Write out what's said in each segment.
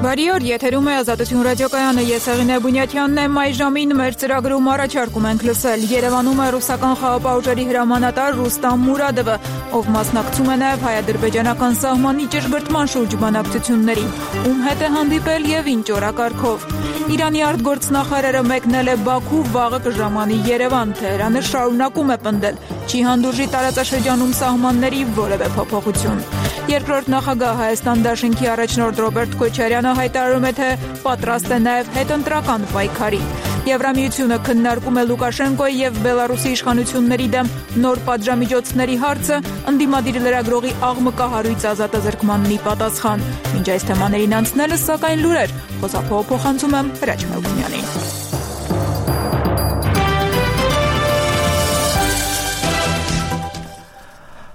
Բարի օր, եթերում է Ազատություն ռադիոկայանը, ես Հեղինե Բունյաթյանն եմ, այժմին մեր ծրագրում առաջարկում ենք լսել Երևանում է ռուսական խաղապահ ուժերի հրամանատար Ռուստամ Մուրադովը, ով մասնակցում է նաև հայ-ադրբեջանական սահմանի ճշգրտման շուրջ բանակցություններին, ում հետ է հանդիպել եւ ինչ օրակարգով։ Իրանի արտգործնախարարը մեկնել է Բաքու, վաղը կժամանի Երևան, Թեհրանը շարունակում է պնդել, չի հանդուրժի տարածաշրջանում սահմանների որևէ փոփոխություն։ Երկրորդ նախագահ Հայաստան Դաշինքի առաջնորդ Ռոբերտ Քոչարյանը հայտարարում է, թե պատրաստ է նաև հետընտրական պայքարի։ Եվրամիությունը քննարկում է Լուկաշենկոյի եւ Բելարուսի իշխանությունների դեմ նոր պատժամիջոցների հարցը, ընդդիմադիր լրագրողի աղմկահարույց ազատազրկմանն ի պատասխան։ Մինչ այս թեմաներին անցնելը, սակայն լուրեր, խոսափողը փոխանցում եմ Հրաչ Մելքոնյանին։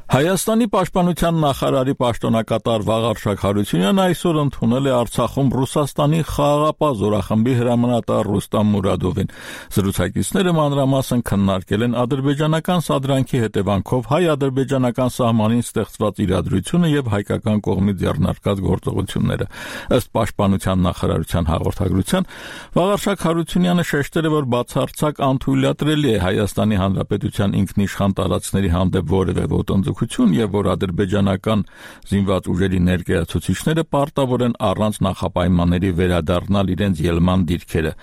Հայաստանի պաշտպանության նախարարի պաշտոնակատար Վաղարշակ Հարությունյանը այսօր ընդունել է Արցախում Ռուսաստանի խաղաղապահ զորախմբի հրամանատար Ռուստամ Մուրադովին։ Զրուցակիցները մանրամասն քննարկել են ադրբեջանական սադրանքի հետևանքով հայ-ադրբեջանական սահմանին ստեղծված իրադրությունը եւ հայկական կողմի ձեռնարկած գործողությունները։ Ըստ պաշտպանության նախարարության հաղորդագրության, Վաղարշակ Հարությունյանը շեշտել է, որ բացարձակ անթույլատրելի է Հայաստանի Հանրապետության ինքնիշխան տարածքների հանդեպ որևէ ոտնձգություն եւ որ ադրբեջանական զինված ուժերի ներկայացուցիչները պարտավոր են առանց նախապայմանների վերադառնալ իրենց ելման դիրքերը։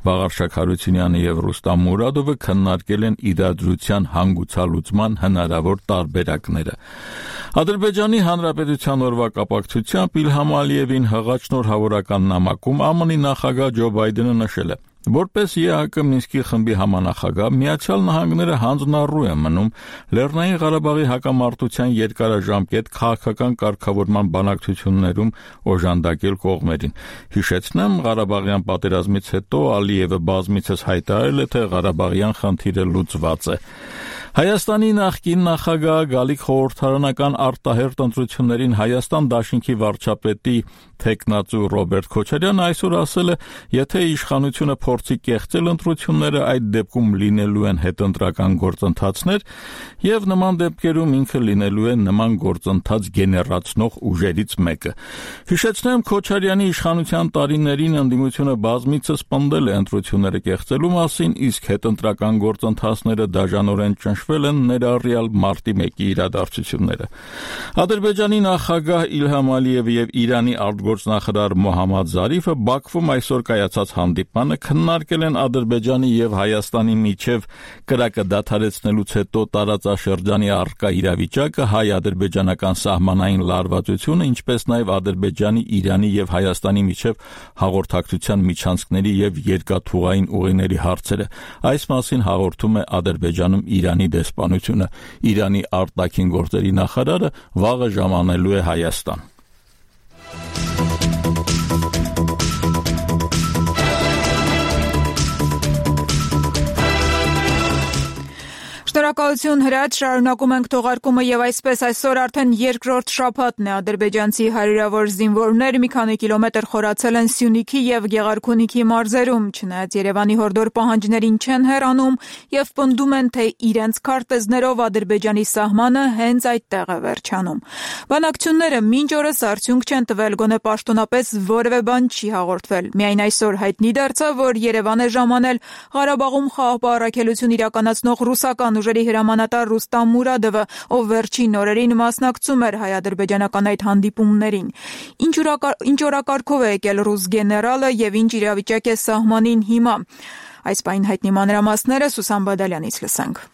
Վաղարշակ Հարությունյանը եւ Ռուստամ Մուրադովը քննարկել են իրադրության հանգուցալուծման հնարավոր տարբերակները։ Ադրբեջանի Հանրապետության օրվա կապակցությամբ Իլհամ Ալիևին հղաչնորհավորական նամակում ԱՄՆ-ի նախագահ Ջո Բայդենը նշել է. Որպես ԵԱՀԿ Մինսկի խմբի համանախագահ, Միացյալ Նահանգները հանձնառու է մնում Լեռնային Ղարաբաղի հակամարտության երկարաժամկետ քաղաքական կարգավորման բանակցություններում օժանդակել կողմերին։ Հիշեցնեմ, Ղարաբաղյան պատերազմից հետո Ալիևը բազմիցս հայտարարել է, թե Ղարաբաղյան խնդիրը լուծված է։ Հայաստանի նախկին նախագահ Գալիք խորհրդարանական արտահերտ ընտրություններին Հայաստան Դաշինքի վարչապետի թեկնածու Ռոբերտ Քոչարյանը այսօր ասել է, եթե իշխանությունը փորձի կեղծել ընտրությունները, այդ դեպքում լինելու են հետընտրական գործընթացներ եւ նման դեպքերում ինքը լինելու է նման գործընթաց գեներացնող ուժերից մեկը։ Հիշեցնեմ, Քոչարյանի իշխանության տարիներին ընդդիմությունը բազմիցս պնդել է ընտրությունները կեղծելու մասին, իսկ հետընտրական գործընթացները դաժանորեն ճնշվել են ներառյալ մարտի 1-ի իրադարձությունները։ Ադրբեջանի նախագահ Իլհամ Ալիևը եւ Իրանի արտգործնախարար Մոհամմադ Զարիֆը Բաքվում այսօր կայացած հանդիպմանը քննարկել են Ադրբեջանի եւ Հայաստանի միջև կրակը դադարեցնելուց հետո տարածաշրջանի առկա իրավիճակը, հայ-ադրբեջանական սահմանային լարվածությունը, ինչպես նաեւ Ադրբեջանի, Իրանի եւ Հայաստանի միջև հաղորդակցության միջանցքների եւ երկաթուղային ուղիների հարցերը։ Այս մասին հաղորդում է Ադրբեջանում Իրանի դեսպանությունը։ Իրանի արտաքին գործերի նախարարը վաղը ժամանելու է Հայաստան։ Շնորհակալություն Հրաչ, շարունակում ենք թողարկումը եւ այսպես այսօր արդեն երկրորդ շաբաթն է ադրբեջանցի հարյուրավոր զինվորներ մի քանի կիլոմետր խորացել են Սյունիքի եւ Գեղարքունիքի մարզերում, չնայած Երևանի հորդոր պահանջներին չեն հեռանում եւ պնդում են, թե իրենց քարտեզներով Ադրբեջանի սահմանը հենց այդտեղ է վերջանում։ Բանակցությունները մինչ օրս արդյունք չեն տվել, գոնե պաշտոնապես որևէ բան չի հաղորդվել։ Միայն այսօր հայտնի դարձավ, որ Երևան է ժամանել Ղարաբաղում խաղաղապահ առաքելություն իրականացնող ռուսական ուժերի հրամանատար Ռուստամ Մուրադովը, ով վերջին օրերին մասնակցում էր հայ-ադրբեջանական այդ հանդիպումներին։ Ինչ օրակարգով է եկել ռուս գեներալը եւ ինչ իրավիճակ է սահմանին հիմա։ Այս պայն հայտնի մանրամասները Սուսան Բադալյանից լսենք։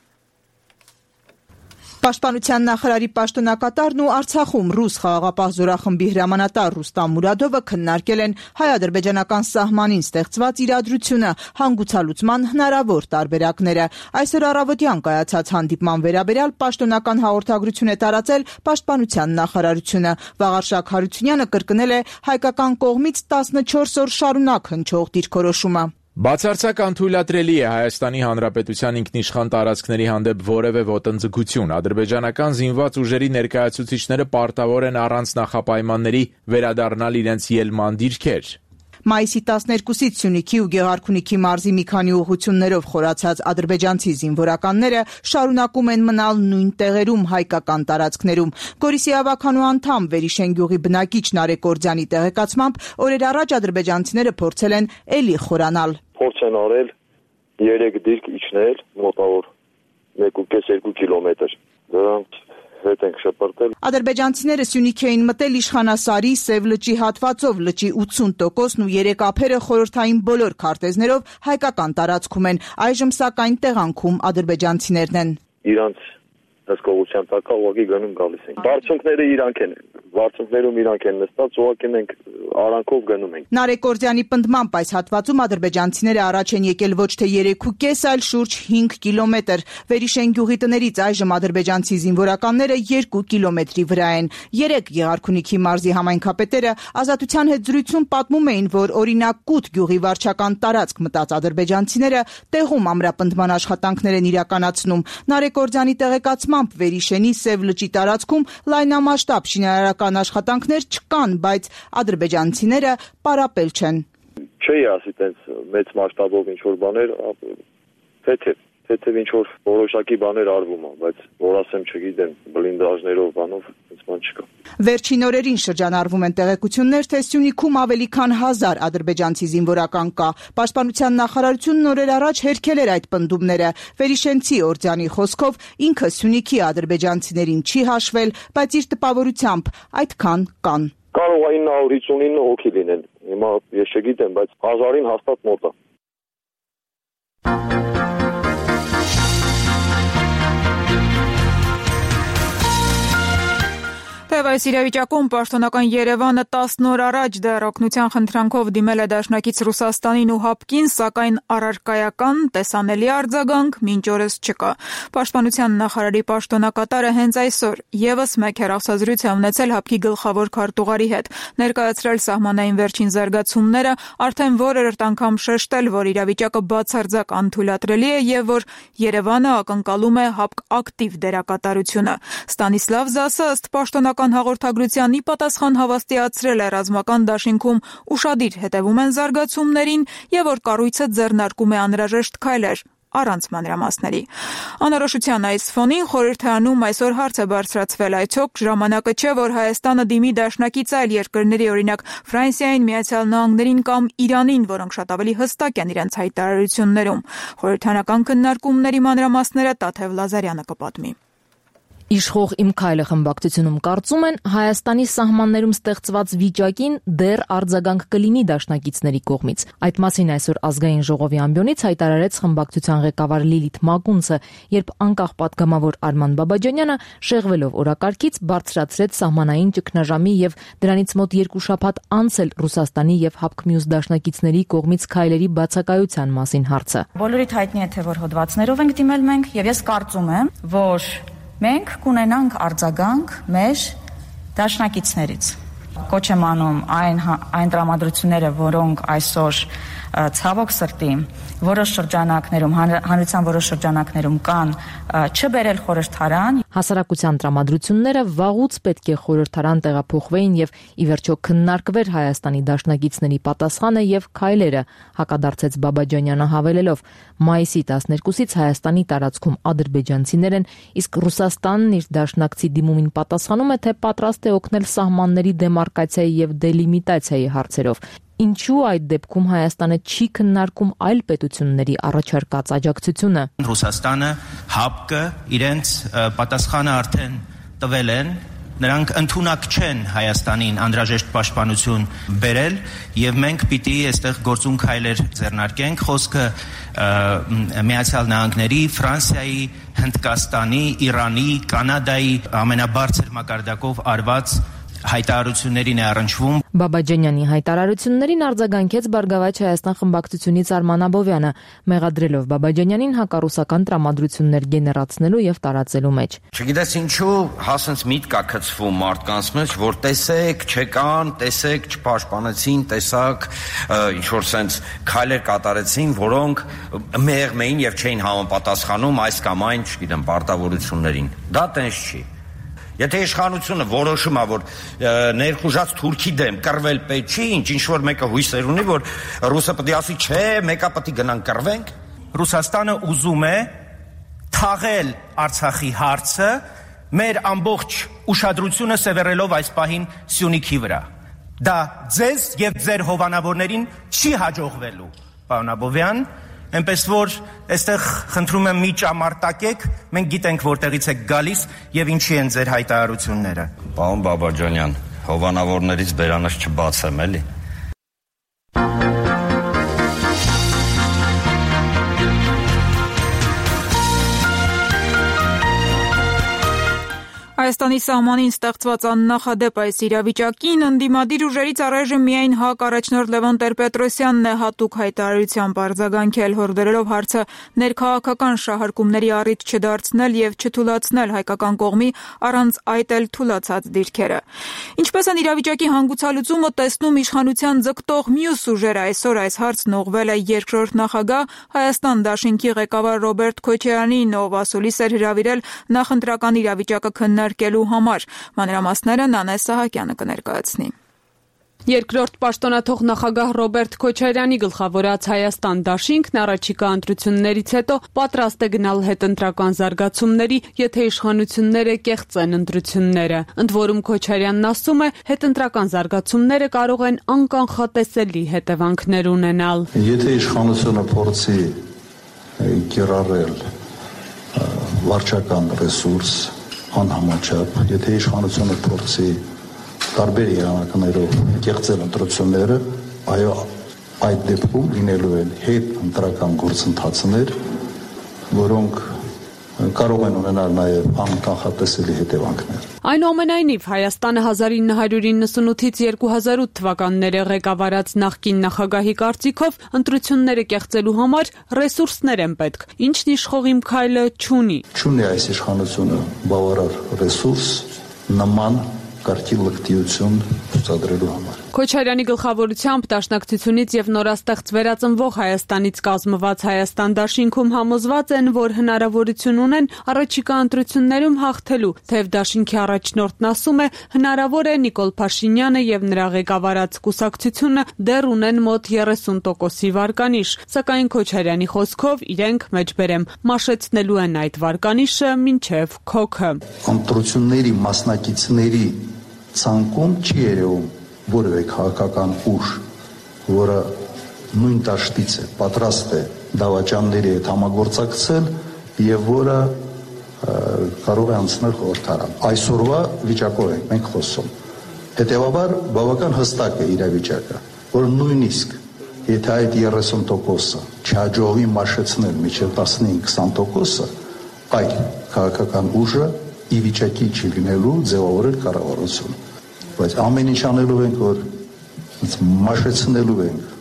Պաշտպանության նախարարի պաշտոնակատարն ու Արցախում ռուս խաղաղապահ զորախմբի հրամանատար Ռուստամ Մուրադովը քննարկել են հայ-ադրբեջանական սահմանին ստեղծված իրադրությունը, հանգուցալուծման հնարավոր տարբերակները։ Այսօր առավոտյան կայացած հանդիպման վերաբերյալ պաշտոնական հաղորդագրություն է տարածել պաշտպանության նախարարությունը։ Վաղարշակ Հարությունյանը կրկնել է հայկական կողմից 14 օր շարունակ հնչող դիրքորոշումը։ Բացարձակ անթույլատրելի է Հայաստանի Հանրապետության ինքնիշխան տարածքների հանդեպ որևէ ոտնձգություն։ Ադրբեջանական զինված ուժերի ներկայացուցիչները պարտավոր են առանց նախապայմանների վերադառնալ իրենց ելման դիրքեր։ Մայիսի 12-ից Սյունիքի ու Գեղարքունիքի մարզի մի քանի ուղղություններով խորացած ադրբեջանցի զինվորականները շարունակում են մնալ նույն տեղերում հայկական տարածքներում։ Գորիսի ավականու անդամ Վերիշեն գյուղի բնակիչ Նարեկ Կորձյանի տեղեկացմամբ օրեր առաջ ադրբեջանցիները փորձել են էլի խորանալ։ Փորձ են արել 3 դիրք իջնել մոտավոր 1.5-2 կիլոմետր։ Դրանց հետ ենք շպրտել։ Ադրբեջանցիները Սյունիք էին մտել Իշխանասարի Սև լճի հատվածով, լճի 80%-ն ու 3 ափերը խորհրդային բոլոր քարտեզներով հայկական տարածքում են։ Այժմ սակայն տեղանքում ադրբեջանցիներն են։ Իրանց հսկողության տակ ուղղակի գնում գալիս են։ Բարձունքները իրանք են։ Բարձունքներում իրանք են նստած, ուղղակի մենք արանքով գնում ենք։ Նարեկ Կորձյանի պնդմամբ այս հատվածում ադրբեջանցիները առաջ են եկել ոչ թե 3.5, այլ շուրջ 5 կիլոմետր։ Վերիշեն գյուղի տներից այժմ ադրբեջանցի զինվորականները 2 կիլոմետրի վրա են։ 3 Գեղարքունիքի մարզի համայնքապետերը Ազատության հետ զրույցում պատմում էին, որ օրինակ Կուտ գյուղի վարչական տարածք մտած ադրբեջանցիները տեղում ամրապնդման աշխատանքներ են իրականացնում։ Նարեկ Կորձյանի տեղեկացմամբ Վերիշենի Սև լճի տարածքում լայնամասշտաբ շինարարական աշխատանքներ չկան, բայց ադրբեջանցիները պարապել չեն։ Չի ասի տենց մեծ մասշտաբով ինչ որ բաներ, թեթև ինչ որ որոշակի բաներ արվում է, բայց որ ասեմ չգիտեմ, բլինդաժներով բանով այնպես բան չկա։ Վերջին օրերին շրջանառվում են տեղեկություններ, թե Սյունիքում ավելի քան 1000 ադրբեջանցի զինվորական կա։ Պաշտպանության նախարարությունն օրեր առաջ հերքել էր այդ պնդումները։ Վերիշենցի Օրձյանի խոսքով ինքը Սյունիքի ադրբեջանցիներին չի հաշվել, բայց իր տպավորությամբ այդքան կան։ Կարող է 959 հոգի լինեն։ Հիմա ես չգիտեմ, բայց 1000-ին հաստատ մոտ է։ Թեև այս իրավիճակում պաշտոնական Երևանը 10 օր առաջ դեռ օգնության խնդրանքով դիմել է դաշնակից Ռուսաստանին ու ՀԱՊԿ-ին, սակայն առարկայական տեսանելի արձագանք մինչ օրս չկա։ Պաշտպանության նախարարի պաշտոնակատարը հենց այսօր եւս մեկ հեռախոսազրույց է ունեցել ՀԱՊԿ-ի գլխավոր քարտուղարի հետ, ներկայացրել սահմանային վերջին զարգացումները, արդեն որերորդ անգամ շեշտել, որ իրավիճակը բացարձակ անթույլատրելի է եւ որ Երևանը ակնկալում է ՀԱՊԿ ակտիվ դերակատարությունը։ Ստանիսլավ Զասը ըստ պաշտոնական հաղորդագրության ի պատասխան հավաստիացրել է ռազմական դաշինքում ուշադիր հետևում են զարգացումներին եւ որ կառույցը ձեռնարկում է անհրաժեշտ քայլեր առանց մանրամասների։ Անորոշության այս ֆոնին խորհրդարանում այսօր հարց է բարձրացվել, այցոք ժամանակը չէ, որ Հայաստանը դիմի դաշնակից այլ երկրների, օրինակ Ֆրանսիային, Միացյալ Նահանգներին կամ Իրանին, որոնք շատ ավելի հստակ են իրենց հայտարարություններում։ Խորհրդարանական քննարկումների մանրամասները Տաթև Լազարյանը կպատմի։ Իշխող Իմ քայլը խմբակցությունում կարծում են Հայաստանի սահմաններում ստեղծված վիճակին դեռ արձագանք կլինի դաշնակիցների կողմից։ Այդ մասին այսօր ազգային ժողովի ամբիոնից հայտարարեց խմբակցության ղեկավար Լիլիթ Մակունցը, երբ անկախ պատգամավոր Արման Բաբաջանյանը շեղվելով օրակարգից բարձրացրեց սահմանային ճգնաժամի եւ դրանից մոտ 2 շաբաթ անց էլ Ռուսաստանի եւ ՀԱՊԿ մյուս դաշնակիցների կողմից քայլերի բացակայության մասին հարցը։ Բոլորիդ հայտնի է, թե որ հոդվածներով ենք դիմել մենք եւ ես կարծում եմ, որ մենք կունենանք արձագանք մեր դաշնակիցներից։ Կոչ եմ անում այն տրամադրությունները, որոնք այսօր ցավոք սրտի որոշ շրջանակներում, հանրության որոշ շրջանակներում կան, չբերել խորհրդարան։ Հասարակության տրամադրությունները վաղուց պետք է խորհրդարան տեղափոխվեին եւ ի վերջո քննարկվեր Հայաստանի դաշնակիցների պատասխանը եւ քայլերը, հակադարձեց Բաբաջանյանը հավելելով. մայիսի 12-ից Հայաստանի տարածքում ադրբեջանցիներ են, իսկ Ռուսաստանն իր դաշնակցի դիմումին պատասխանում է, թե պատրաստ է օգնել սահմանների դեմարկացիայի եւ դելիմիտացիայի հարցերով։ Ինչու այդ դեպքում Հայաստանը չի քննարկում այլ պետությունների առաջարկած աջակցությունը։ Ռուսաստանը, ՀԱՊԿ-ը իրենց պատասխանը արդեն տվել են, նրանք ընդունակ չեն Հայաստանին անհրաժեշտ պաշտպանություն բերել եւ մենք պիտի այստեղ գործուն քայլեր ձեռնարկենք։ Խոսքը Միացյալ Նահանգների, Ֆրանսիայի, Հնդկաստանի, Իրանի, Կանադայի ամենաբարձր մակարդակով արված հայտարարություններին է առնչվում։ Բաբաջանյանի հայտարարություններին արձագանքեց Բարգավաճ Հայաստան խմբակցությունից Արման Աբովյանը, մեղադրելով Բաբաջանյանին հակառուսական տրամադրություններ գեներացնելու եւ տարածելու մեջ։ Չգիտես ինչու հասենց միտք կա գցվում մարդկանց մեջ, որ տեսեք, չեկան, տեսեք, չպաշտպանեցին, տեսակ, ինչ որ sense քայլեր կատարեցին, որոնք մեղմ էին եւ չէին համապատասխանում այս կամ այն, չգիտեմ, պարտավորություններին։ Դա տենց չի։ Եթե իշխանությունը որոշում է, որ ներխուժած թուրքի դեմ կռվել պետք չի, ինչ որ մեկը հույսեր ունի, որ ռուսը պետք է ասի, չէ, մեկը պետք է գնանք կռվենք։ Ռուսաստանը ուզում է թաղել Արցախի հարցը, մեր ամբողջ ուշադրությունը սևեռելով այս պահին Սյունիքի վրա։ Դա ձեզ եւ ձեր հովանավորներին չի հաջողվելու, պարոն Աբովյան, այնպես որ այստեղ խնդրում եմ մի ճամարտակեք, մենք գիտենք որտեղից եք գալիս եւ ինչի են ձեր հայտարարությունները։ Պարոն Բաբաջանյան, հովանավորներից բերանս չբացեմ, էլի։ Հայաստանի սահմանին ստեղծված աննախադեպ այս իրավիճակին ընդդիմադիր ուժերից առայժմ միայն ՀԱԿ առաջնորդ Լևոն Տեր-Պետրոսյանն է հատուկ հայտարարությամբ արձագանքել, հորդորելով հարցը ներքաղաքական շահարկումների առիթ չդարձնել եւ չթուլացնել հայկական կողմի առանց այդ էլ թուլացած դիրքերը։ Ինչպես են իրավիճակի հանգուցալուծումը տեսնում իշխանության ձգտող մյուս ուժերը, այսօր այս հարցն ուղղվել է երկրորդ նախագահ Հայաստան Դաշինքի ղեկավար Ռոբերտ Քոչարյանին, ով ասուլիս էր հրավիրել նախընտրական իրավիճակը քննարկելու համար։ Մանրամասները Նանե Սահակյանը կներկայացնի։ Երկրորդ պաշտոնաթող նախագահ Ռոբերտ Քոչարյանի գլխավորած Հայաստան Դաշինքն առաջիկա ընտրություններից հետո պատրաստ է գնալ հետընտրական զարգացումների, եթե իշխանությունները կեղծեն ընտրությունները։ Ընդ որում Քոչարյանն ասում է, հետընտրական զարգացումները կարող են անկանխատեսելի հետևանքներ ունենալ։ Եթե իշխանությունը փորձի կիրառել վարչական ռեսուրս անհամաչափ, եթե իշխանությունը փորձի տարբեր եղանակներով կեղծել ընտրությունները, այո, այդ դեպքում լինելու են հետ ընտրական գործընթացներ, որոնք կարող են ունենալ նաև անկանխատեսելի հետևանքներ։ Այնուամենայնիվ, Հայաստանը 1998-ից 2008 թվականները ղեկավարած նախկին նախագահի կարծիքով ընտրությունները կեղծելու համար ռեսուրսներ են պետք, ինչն իշխողիմ քայլը չունի։ Չունի այս իշխանությունը բավարար ռեսուրս նման կարգի լկտիություն ցուցադրելու համար։ Քոչարյանի գլխավորությամբ Դաշնակցությունից եւ նորաստեղծ վերածնվող Հայաստանից կազմված Հայաստան Դաշինքում համոզված են, որ հնարավորություն ունեն առաջիկա ընտրություններում հաղթելու, թեև Դաշինքի առաջնորդն ասում է, հնարավոր է Նիկոլ Փաշինյանը եւ նրա ղեկավարած կուսակցությունը դեռ ունեն մոտ 30%-ի վարկանիշ, սակայն Քոչարյանի խոսքով իրենք մեջբերեմ մաշեցնելու են այդ վարկանիշը մինչեւ քոքը։ Ընտրությունների մասնակիցների ցանկում չի երևում որևէ քաղաքական ուժ, որը նույն դաշտից է, պատրաստ է դավաճանների հետ համագործակցել եւ որը կարող է անցնել խորհրդարան։ Այսօրվա վիճակով ենք մենք խոսում։ Հետևաբար բավական հստակ է իրավիճակը, որ նույնիսկ եթե այդ 30%-ը չհաջողվի մաշեցնել մինչև 15-20%-ը, այդ քաղաքական ուժը ի վիճակի չի լինելու ձևավորել կառավարություն։ Բայց ամեն ինչ անելու ենք, որ մաշեցնելու ենք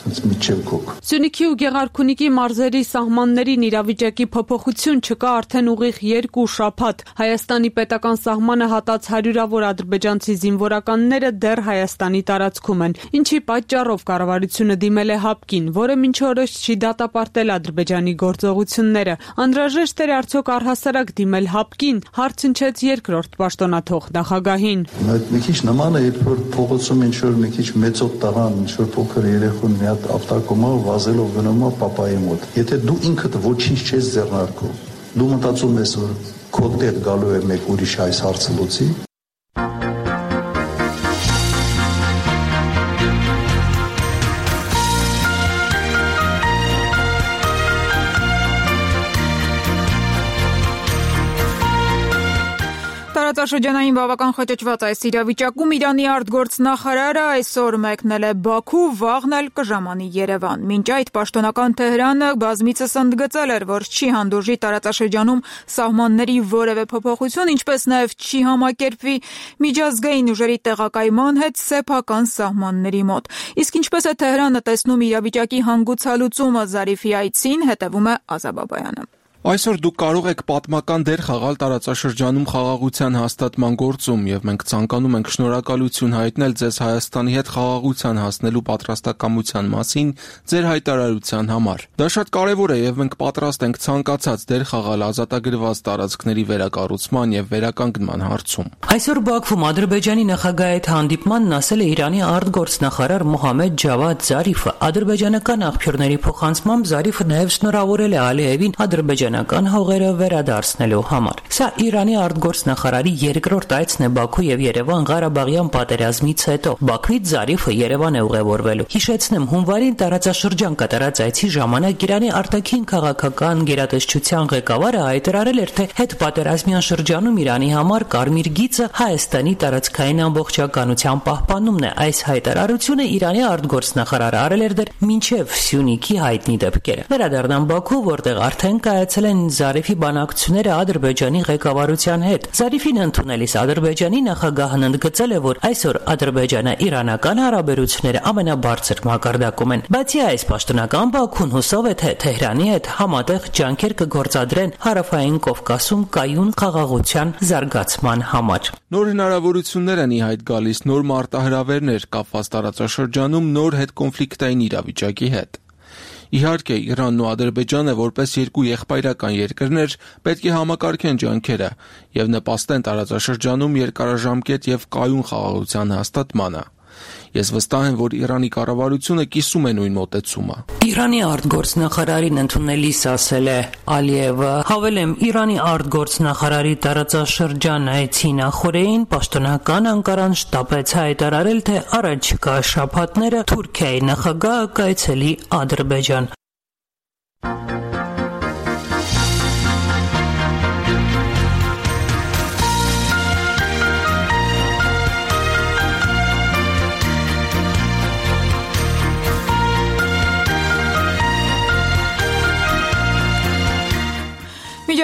միջև քոք։ Սյունիքի ու Գեղարքունիքի մարզերի սահմաններին իրավիճակի փոփոխություն չկա արդեն ուղիղ 2 շաբաթ։ Հայաստանի պետական սահմանը հատած հարյուրավոր ադրբեջանցի զինվորականները դեռ Հայաստանի տարածքում են, ինչի պատճառով կառավարությունը դիմել է ՀԱՊԿ-ին, որը մինչ օրս չի դատապարտել Ադրբեջանի գործողությունները։ Անհրաժեշտ էր արդյոք առհասարակ դիմել ՀԱՊԿ-ին, հարց հնչեց երկրորդ պաշտոնաթող նախագահին։ Մի քիչ նման է, երբ որ փողոցում ինչ-որ մի քիչ մեծոտ տղան, ինչ-որ փոքր երեխուն ավտակոմով վազելով գնում է պապայի մոտ։ Եթե դու ինքդ ոչինչ չես ձեռնարկում, դու մտածում ես, որ քո դեպ գալու է մեկ ուրիշ այս հարցը լուծի։ Տարածաշրջանային բավական խճճված այս իրավիճակում Իրանի արտգործնախարարը այսօր մեկնել է Բաքու, վաղն էլ կժամանի Երևան։ Մինչ այդ պաշտոնական Թեհրանը բազմիցս ընդգծել էր, որ չի հանդուրժի տարածաշրջանում սահմանների որևէ փոփոխություն, ինչպես նաև չի համակերպվի միջազգային ուժերի տեղակայման հետ սեփական սահմանների մոտ։ Իսկ ինչպես է Թեհրանը տեսնում իրավիճակի հանգուցալուծումը Զարիֆի այցին, հետևում է Ազա Բաբայանը։ Այսօր դուք կարող եք պատմական դեր խաղալ տարածաշրջանում խաղաղության հաստատման գործում եւ մենք ցանկանում ենք շնորհակալություն հայտնել ձեզ Հայաստանի հետ խաղաղության հասնելու պատրաստակամության մասին ձեր հայտարարության համար։ Դա շատ կարեւոր է եւ մենք պատրաստ ենք ցանկացած դեր խաղալ ազատագրված տարածքների վերակառուցման եւ վերականգնման հարցում։ Այսօր Բաքվում Ադրբեջանի նախագահի հետ հանդիպմանն ասել է Իրանի արտգործնախարար Մոհամմեդ Ջավադ Զարիֆը։ Ադրբեջանական աղբյուրների փոխանցմամբ Զարիֆը նաեւ շնորհավորել է Ալիևին ադրբեջանական հողերը վերադարձնելու համար։ Սա Իրանի արտգործնախարարի երկրորդ այցն է Բաքու եւ Երևան Ղարաբաղյան պատերազմից հետո։ Բաքվից Զարիֆը Երևան է ուղևորվելու։ Հիշեցնեմ, հունվարին տարածաշրջան կատարած այցի ժամանակ Իրանի արտաքին քաղաքական գերատեսչության ղեկավարը հայտարարել էր, թե հետպատերազմյան շրջանում Իրանի համար կարմիր գիծը Հայաստանի տարածքային ամբողջականության պահպանումն է։ Այս հայտարարությունը Իրանի արտգործնախարարը արել էր դեռ մինչև Սյունիքի հայտնի դեպքերը։ Վերադառնան Բաքու, որտեղ արդեն կայացել են Զարիֆի բանակցությունները Ադրբեջանի ղեկավարության հետ։ Զարիֆին ընդունելիս Ադրբեջանի նախագահն ընդգծել է, որ այսօր Ադրբեջանա-իրանական հարաբերությունները ամենաբարձր մակարդակում են։ Բացի այս, պաշտոնական Բաքուն հուսով է, թե Թեհրանի հետ համատեղ ջանքեր կգործադրեն Հարավային Կովկասում կայուն խաղաղության զարգացման համար։ Նոր հնարավորություններ են ի հայտ գալիս, նոր մարտահրավերներ կապված տարածաշրջանում նոր հետկոնֆլիկտային իրավիճակի հետ։ Իհարկե, Իրանն ու Ադրբեջանը որպես երկու եղբայրական երկրներ պետք է համակարգեն ջանքերը եւ նպաստեն տարածաշրջանում երկարաժամկետ եւ կայուն խաղաղության հաստատմանը։ Ես վստահ եմ, որ Իրանի կառավարությունը կիսում է նույն մոտեցումը։ Իրանի արտգործնախարարին ընդունելիս ասել է Ալիևը, հավելեմ, Իրանի արտգործնախարարի տարածաշրջան այցի նախորդին պաշտոնական Անկարան շտապեց հայտարարել, թե առաջիկա շաբաթները Թուրքիայի նախագահը կայցելի Ադրբեջան։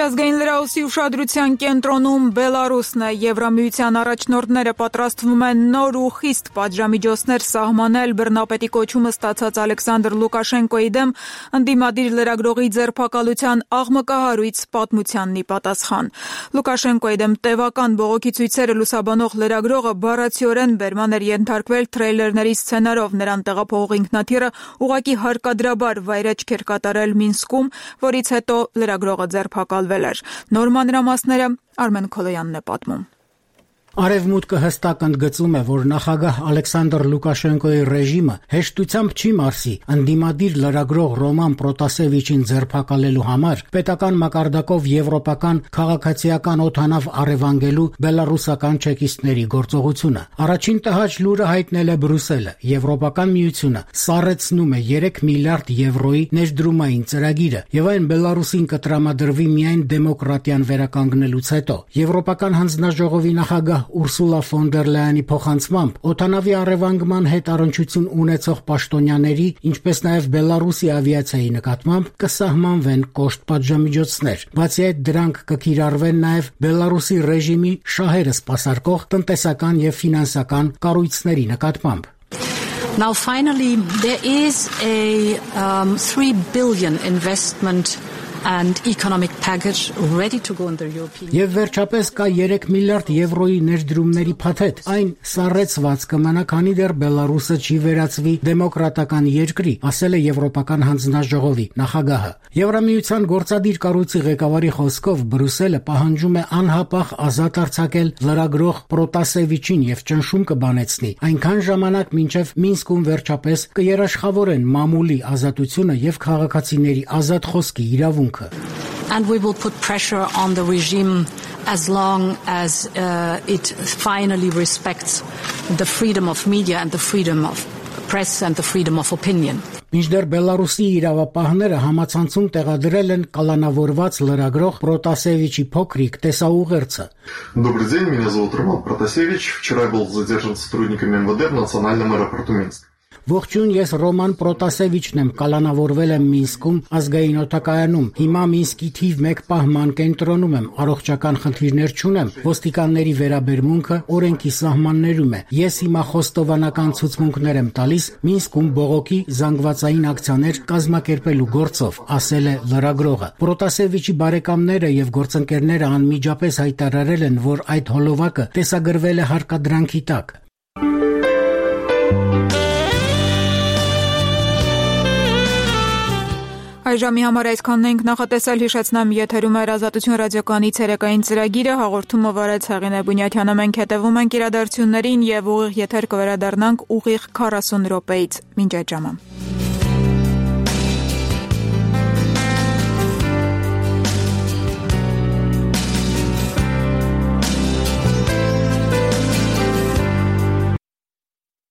Միջազգային լրահոսի ուշադրության կենտրոնում Բելարուսն է։ Եվրամիության առաջնորդները պատրաստվում են նոր ու խիստ պատժամիջոցներ սահմանել բռնապետի կոչումը ստացած Ալեքսանդր Լուկաշենկոյի դեմ ընդդիմադիր լրագրողի ձերբակալության աղմկահարույց պատմությանն ի պատասխան։ Լուկաշենկոյի դեմ տևական բողոքի ցույցերը լուսաբանող լրագրողը բառացիորեն բերման էր ենթարկվել թրեյլերների սցենարով։ Նրան տեղափոխող ինքնաթիռը ուղղակի հարկադրաբար վայրէջք էր կատարել Մինսկում, որից հետո լրագրողը ձերբակալվել էր։ Նոր մանրամասները Արմեն Քոլոյանն է պատմում։ Արևմուտքը հստակ ընդգծում է, որ նախագահ Ալեքսանդր Լուկաշենկոյի ռեժիմը հեշտությամբ չի մարսի ընդդիմադիր լրագրող Ռոման Պրոտասևիչին ձերբակալելու համար պետական մակարդակով եվրոպական քաղաքացիական օդանավ առևանգելու բելարուսական չեկիստների գործողությունը։ Առաջին տհաճ լուրը հայտնել է Բրյուսելը։ Եվրոպական միությունը սառեցնում է 3 միլիարդ եվրոյի ներդրումային ծրագիրը, եւ այն Բելարուսին կտրամադրվի միայն դեմոկրատիան վերականգնելուց հետո։ Եվրոպական հանձնաժողովի նախագահ Ուրսուլա ֆոն դեր Լայանի փոխանցմամբ օդանավի առևանգման հետ առնչություն ունեցող պաշտոնյաների, ինչպես նաև Բելարուսի ավիացիայի նկատմամբ կսահմանվեն կոշտ պատժամիջոցներ։ Բացի այդ, դրանք կկիրառվեն նաև Բելարուսի ռեժիմի շահերը սպասարկող տնտեսական եւ ֆինանսական կառույցների նկատմամբ։ Now finally there is a 3 billion investment and economic package ready to go in the European Եվ վերջապես կա 3 միլիարդ եվրոյի ներդրումների փաթեթ։ Այն սառեցված կմնա, քանի դեռ Բելարուսը չի վերածվի դեմոկրատական երկրի, ասել է Եվրոպական հանձնաժողովի նախագահը։ Եվրամիության գործադիր կառույցի ղեկավարի խոսքով Բրյուսելը պահանջում է անհապաղ ազատ արձակել լրագրող Պրոտասևիչին եւ ճնշում կբանեցնի, այնքան ժամանակ մինչեւ Մինսկում վերջապես կերաշխավորեն մամուլի ազատությունը եւ քաղաքացիների ազատ խոսքի իրավունքը։ And we will put pressure on the regime as long as it finally respects the freedom of media and the freedom of press and the freedom of opinion. Մինչդեռ Բելարուսի իրավապահները համացանցում տեղադրել են կալանավորված լրագրող Պրոտասևիչի փոքրիկ տեսաուղերձը։ Добрый день, меня зовут Роман Протасевич. Вчера был задержан сотрудниками МВД в национальном аэропорту Минск. Ողջույն, ես Ռոման Պրոտասևիչն եմ, կալանավորվել եմ Մինսկում ազգային օդակայանում։ Հիմա Մինսկի թիվ 1 պահման կենտրոնում եմ, առողջական խնդիրներ չունեմ, ոստիկանների վերաբերմունքը օրենքի սահմաններում է։ Ես հիմա խոստովանական ցուցմունքներ եմ տալիս Մինսկում բողոքի զանգվածային ակցիաներ կազմակերպելու գործով, ասել է լրագրողը։ Պրոտասևիչի բարեկամները եւ գործընկերները անմիջապես հայտարարել են, որ այդ հոլովակը տեսագրվել է հարկադրանքի տակ։ Այժմի համար այսքանն ենք նախատեսել, հիշեցնեմ, եթերում է Ազատություն ռադիոկայանի ցերեկային ծրագիրը, հաղորդումը վարեց Հեղինե Բունյաթյանը, մենք հետևում ենք իրադարձություններին եւ ուղիղ եթեր կվերադառնանք ուղիղ 40 րոպեից։ Մինչ այդ ժամը։